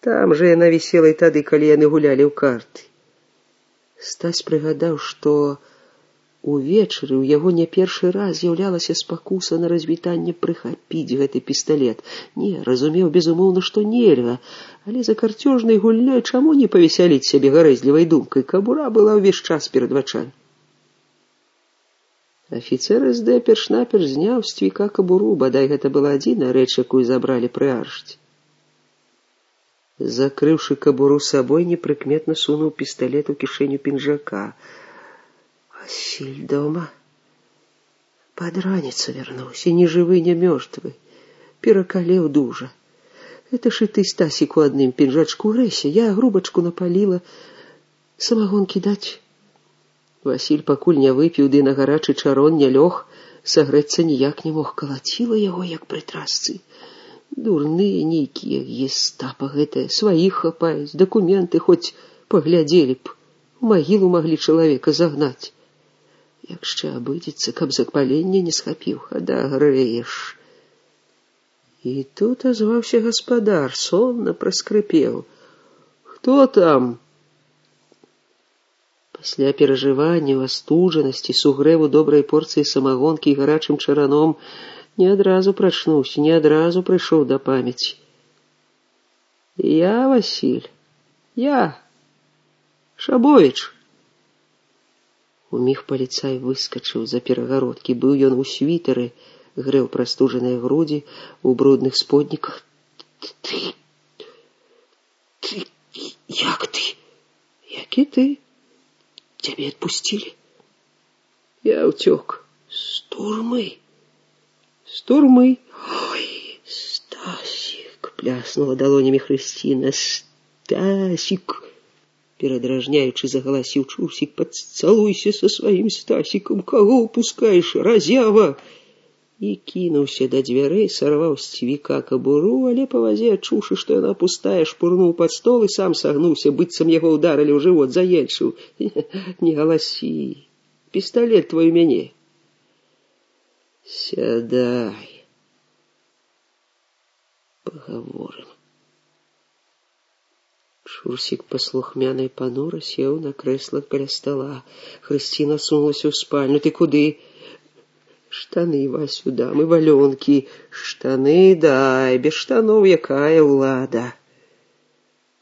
Там жа яна вісела і тады, калі яны гулялі ў карты. Стась прыгадаў, што увечары ў яго не першы раз з'яўлялася спакуса на развітанне прыхапіць гэты пісталет. Не, разумеў, безумоўна, што нельга, але за карцёжнай гульнёй чаму не павесяліць сябе гарэзлівай думкай? Кабура была ўвесь час перад вачамі. Афіцэр СД перш-наперш зняў з цвіка кабуру, бадай гэта была адзіная рэч, якую забралі пры аршце. Закрыўшы кабуру сабой, непрыкметна сунуў пісталет у кішэню пінжака. Василь дома. Под раніцу вярнуўся, ні жывы, ні мёртвы. Перакалеў дужа. Это ж і ты, Стасік, у адным пінжачку рэся. Я грубачку напаліла. Самагонкі даць? Василь пакуль не выпіў, ды на гарачы чарон не лёг, сагрэцца ніяк не мог. Калаціла яго, як пры трасцы. Дурныя нейкія гестапа гэтыя, сваіх хапаюць, дакументы хоць паглядзелі б. У магілу маглі чалавека загнаць. Як ще абыдзецца, каб запаленне не схапіў, адагрэеш. І тут азваўся гаспадар, сонна праскрыпеў. Хто там? Пасля перажывання, астуджанасці, сугрэву добрай порцыі самагонкі і гарачым чараном не адразу прачнуўся, не адразу прыйшоў да памяці. Я, Василь, я, Шабовіч. Уміг паліцай выскачыў за перагародкі. Быў ён у світары, грэў прастужаныя грудзі, у брудных сподніках. Ты, як ты? Які ты? Цябе адпусцілі? Я ўцёк. З турмы? З турмы? Ой, Стасік, пляснула далонямі Хрысціна. Стасік! Перадражняючы загаласіў Чурсік. Пацалуйся са сваім Стасікам, каго ўпускаеш, разява! І кінуўся да дзвярэй, сарваў з цвіка кабуру, але па вазе, адчуўшы, што яна пустая, шпурнуў пад стол і сам сагнуўся, быццам яго ўдарылі ў жывот, заельчыў. Не галасі, пісталет твой у мяне. Сядай. Пагаворым. Чурсік паслухмяна і панура сеў на крэсла каля стала. Хрысціна сунулася ў спальню. Ты куды? Штаны, Васю, дам і валёнкі. Штаны дай, без штаноў якая ўлада.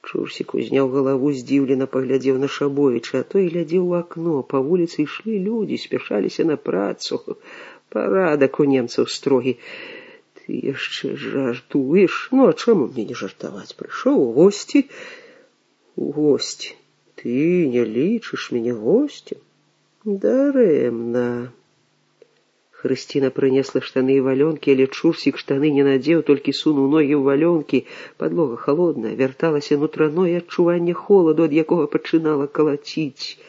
Чурсік узняў галаву, здзіўлена паглядзеў на Шабовіча, а той глядзеў у акно. Па вуліцы ішлі людзі, спяшаліся на працу. Парадак у немцаў строгі. Ты яшчэ жартуеш? Ну, а чаму мне не жартаваць? Прыйшоў у госці. У госці. Ты не лічыш мяне госцем? Дарэмна. Хрысціна прынесла штаны і валёнкі, але Чурсік штаны не надзеў, толькі сунуў ногі ў валёнкі. Падлога халодная, вярталася нутраное адчуванне холаду, ад якога пачынала калаціць.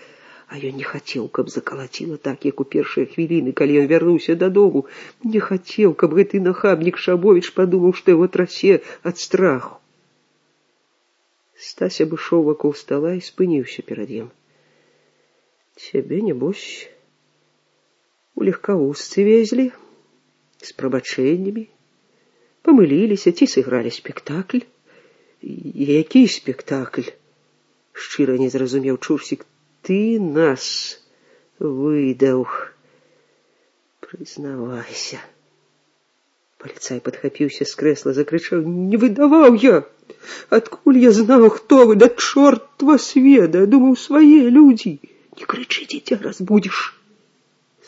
А ён не хацеў, каб закалаціла так, як у першыя хвіліны, калі ён вярнуўся дадому. Не хацеў, каб гэты нахабнік Шабовіч падумаў, што яго трасе ад страху. Стась абышоў вакол стала і спыніўся перад ім. Цябе, небось, у легкавузцы везлі, з прабачэннямі, памыліліся, ці сыгралі спектакль. Які спектакль? Шчыра не зразумеў Чурсік. Ты нас выдаў. Прызнавайся. Паліцай падхапіўся з крэсла, закрычаў. Не выдаваў я! Адкуль я знаў, хто вы? Да чорт вас ведае! Думаў, свае людзі. Не крычы, дзіця, разбудзіш.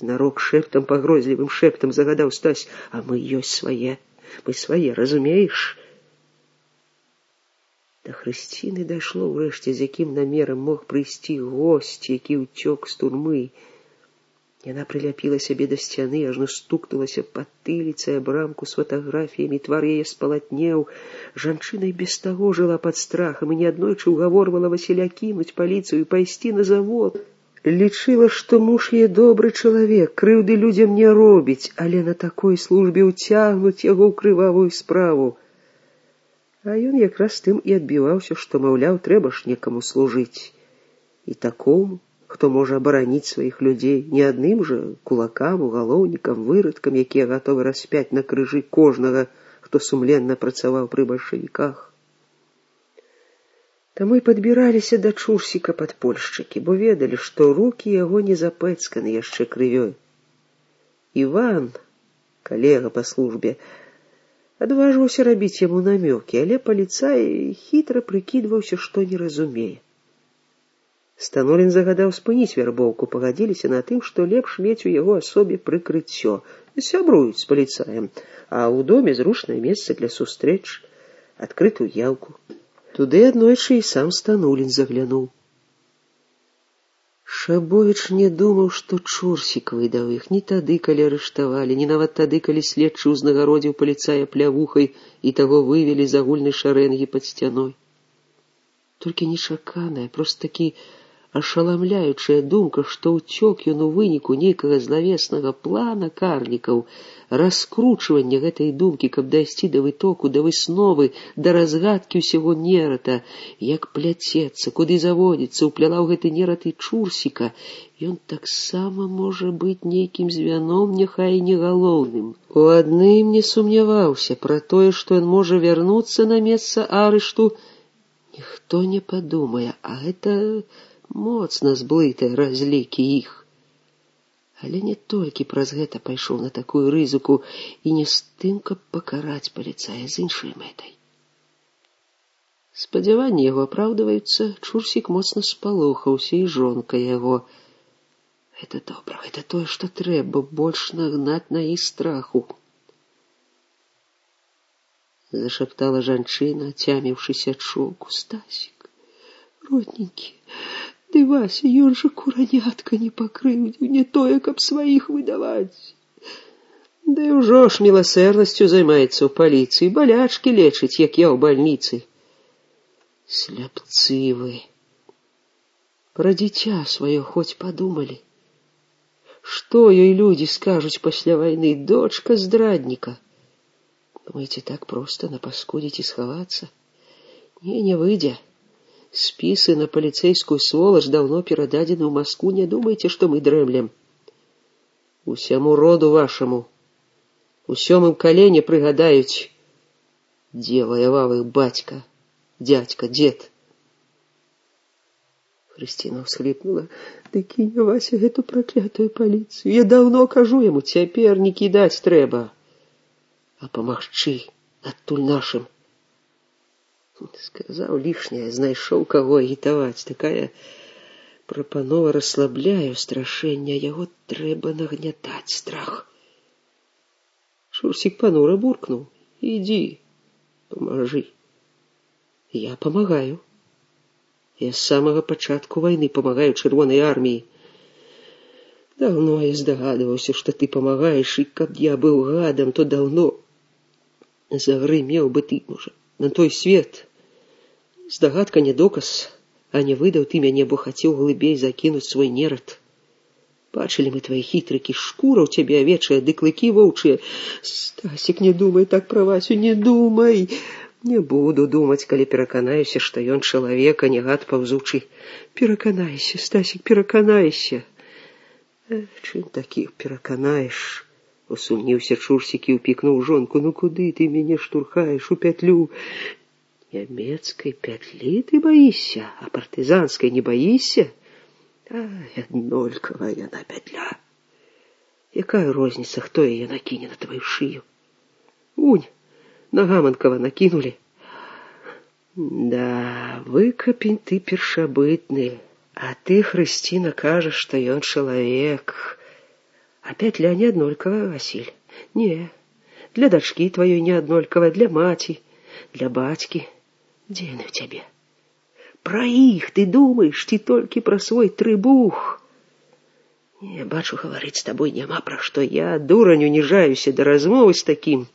Знарок шэптам, пагрозлівым шэптам загадаў Стась. А мы ёсць свае. Мы свае, разумееш? Да Хрысціны дайшло ўрэшце, з якім намерам мог прыйсці госць, які ўцёк з турмы. Яна прыляпіла сябе да сцяны, ажно стукнулася патыліцай аб рамку з фатаграфіямі, твар яе спалатнеў. Жанчына і без таго жыла пад страхам і неаднойчы ўгаворвала Васіля кінуць паліцыю і пайсці на завод. Лічыла, што муж яе добры чалавек, крыўды людзям не робіць, але на такой службе ўцягнуць яго ў крывавую справу. А ён якраз тым і адбіваўся, што, маўляў, трэба ж некаму служыць. І такому, хто можа абараніць сваіх людзей, не адным жа кулакам, угалоўнікам, вырадкам, якія гатовы распяць на крыжы кожнага, хто сумленна працаваў пры бальшавіках. Таму і падбіраліся да Чурсіка падпольшчыкі, бо ведалі, што рукі яго не запэцканы яшчэ крывёй. Іван, калега па службе, адважваўся рабіць яму намёкі, але паліцай хітра прыкідваўся, што не разумее. Станолін загадаў спыніць вярбоўку, пагадзіліся на тым, што лепш мець у яго асобе прыкрыццё. Сябруюць з паліцаем, а ў доме зручнае месца для сустрэч, адкрытую яўку. Туды аднойчы і сам Станулін заглянуў. Шабовіч не думаў, што Чурсік выдаў іх ні тады, калі арыштавалі, ні нават тады, калі следчы ўзнагародзіў паліцая плявухай і таго вывелі з агульнай шарэнгі пад сцяной. Толькі нечаканая, проста такі ашаламляючая думка, што ўцёк ён у выніку нейкага злавеснага плана карнікаў, раскручвання гэтай думкі, каб дайсці да вытоку, да высновы, да разгадкі ўсяго нерата, як пляцецца, куды заводзіцца, упляла ў гэты нерат і Чурсіка, ён таксама можа быць нейкім звяном, няхай і не галоўным. У адным не сумняваўся, пра тое, што ён можа вярнуцца на месца арышту, ніхто не падумае, а гэта моцна зблытае разлікі іх. Але не толькі праз гэта пайшоў на такую рызыку і не з тым, каб пакараць паліцая, з іншай мэтай. Спадзяванні яго апраўдваюцца, Чурсік моцна спалохаўся, і жонка яго. Гэта добра, гэта тое, што трэба, больш нагнаць на іх страху. Зашаптала жанчына, цяміўшыся ад шоку. Стасік, родненькі, ды Вася, ён жа куранятка не пакрыўдзіў, не тое, каб сваіх выдаваць. Ды ўжо ж міласэрнасцю займаецца ў паліцыі, балячкі лечыць, як я ў бальніцы. Сляпцы вы. Пра дзіця сваё хоць падумалі. Што ёй людзі скажуць пасля вайны? Дочка здрадніка. Думаеце, так проста напаскудзіць і схавацца? Не выйдзе. Спісы на паліцэйскую сволач даўно перададзены ў Маску, не думайце, што мы дрэмлем. Усяму роду вашаму, у сёмым калене прыгадаюць, дзе ваяваў іх бацька, дзядзька, дзед. Хрысціна ўсхліпнула. Ды кінь, Вася, гэту праклятую паліцыю. Я даўно кажу яму, цяпер не кідаць трэба, а памагчы адтуль нашым. Сказаў лішняе, знайшоў каго агітаваць. Такая прапанова расслабляе страшэння, яго трэба нагнятаць страх. Чурсік панура буркнуў. Ідзі, памажы. Я памагаю. Я з самага пачатку вайны памагаю Чырвонай арміі. Даўно я здагадваўся, што ты памагаеш, і каб я быў гадам, то даўно загрымеў бы ты, можа, на той свет. Здагадка не доказ, а не выдаў ты мяне, бо хацеў глыбей закінуць свой нерад. Бачылі мы твае хітрыкі, шкура ў цябе авечая, ды клыкі воўчыя. Стасік, не думай так пра Васю, не думай. Не буду думаць, калі пераканаюся, што ён чалавек, а не гад паўзучы. Пераканайся, Стасік, пераканайся. Чым такіх пераканаеш? Усумніўся Чурсік і ўпікнуў жонку. Ну куды ты мяне штурхаеш у пятлю? Нямецкай пятлі ты баішся, а партызанскай не баішся? Аднолькавая яна пятля. Якая розніца, хто яе накіне на твою шыю? Унь, на Гаманкова накінулі. Да, выкапень ты першабытны, а ты, Хрысціна, кажаш, што ён чалавек. А пятля не аднолькавая, Васіль. Не, для дачкі тваёй не аднолькавая, для маці, для бацькі. Дзе яны ў цябе? Пра іх ты думаеш, ці толькі пра свой трыбух? Не, бачу, гаварыць з табой няма пра што. Я, дурань, уніжаюся да размовы з такім.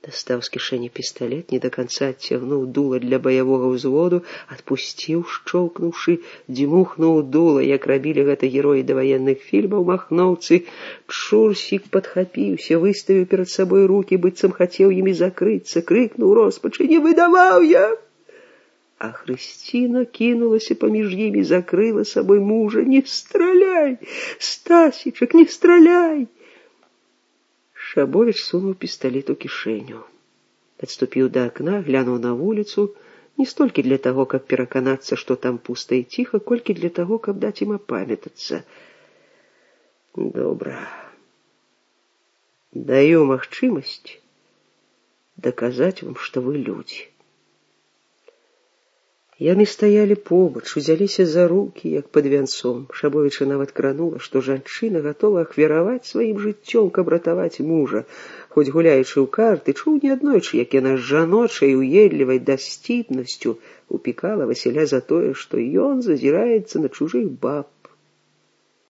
Дастаў з кішэні пісталет, не да канца адцягнуў дула для баявога ўзводу, адпусціў, шчоўкнуўшы, дзьмухнуў дула, як рабілі гэта героі даваенных фільмаў, махноўцы. Чурсік падхапіўся, выставіў перад сабой рукі, быццам хацеў імі закрыцца, крыкнуў роспачы: «Не выдаваў я!» А Хрысціна кінулася паміж імі, закрыла сабой мужа. «Не страляй, Стасічак, не страляй!» Шабовіч сунуў пісталет у кішэню. Адступіў да акна, глянуў на вуліцу, Не столькі для таго, каб пераканацца, што там пуста і ціха, колькі для таго, каб даць ім апамятацца. Добра. Даю магчымасць даказаць вам, што вы людзі. Яны стаялі побач, узяліся за рукі, як пад вянцом. Шабовіча нават кранула, што жанчына гатова ахвяраваць сваім жыццём, каб ратаваць мужа. Хоць гуляючы ў карты, чуў неаднойчы, як яна з жаночай уедлівай дасціпнасцю упікала Васіля за тое, што ён зазіраецца на чужых баб.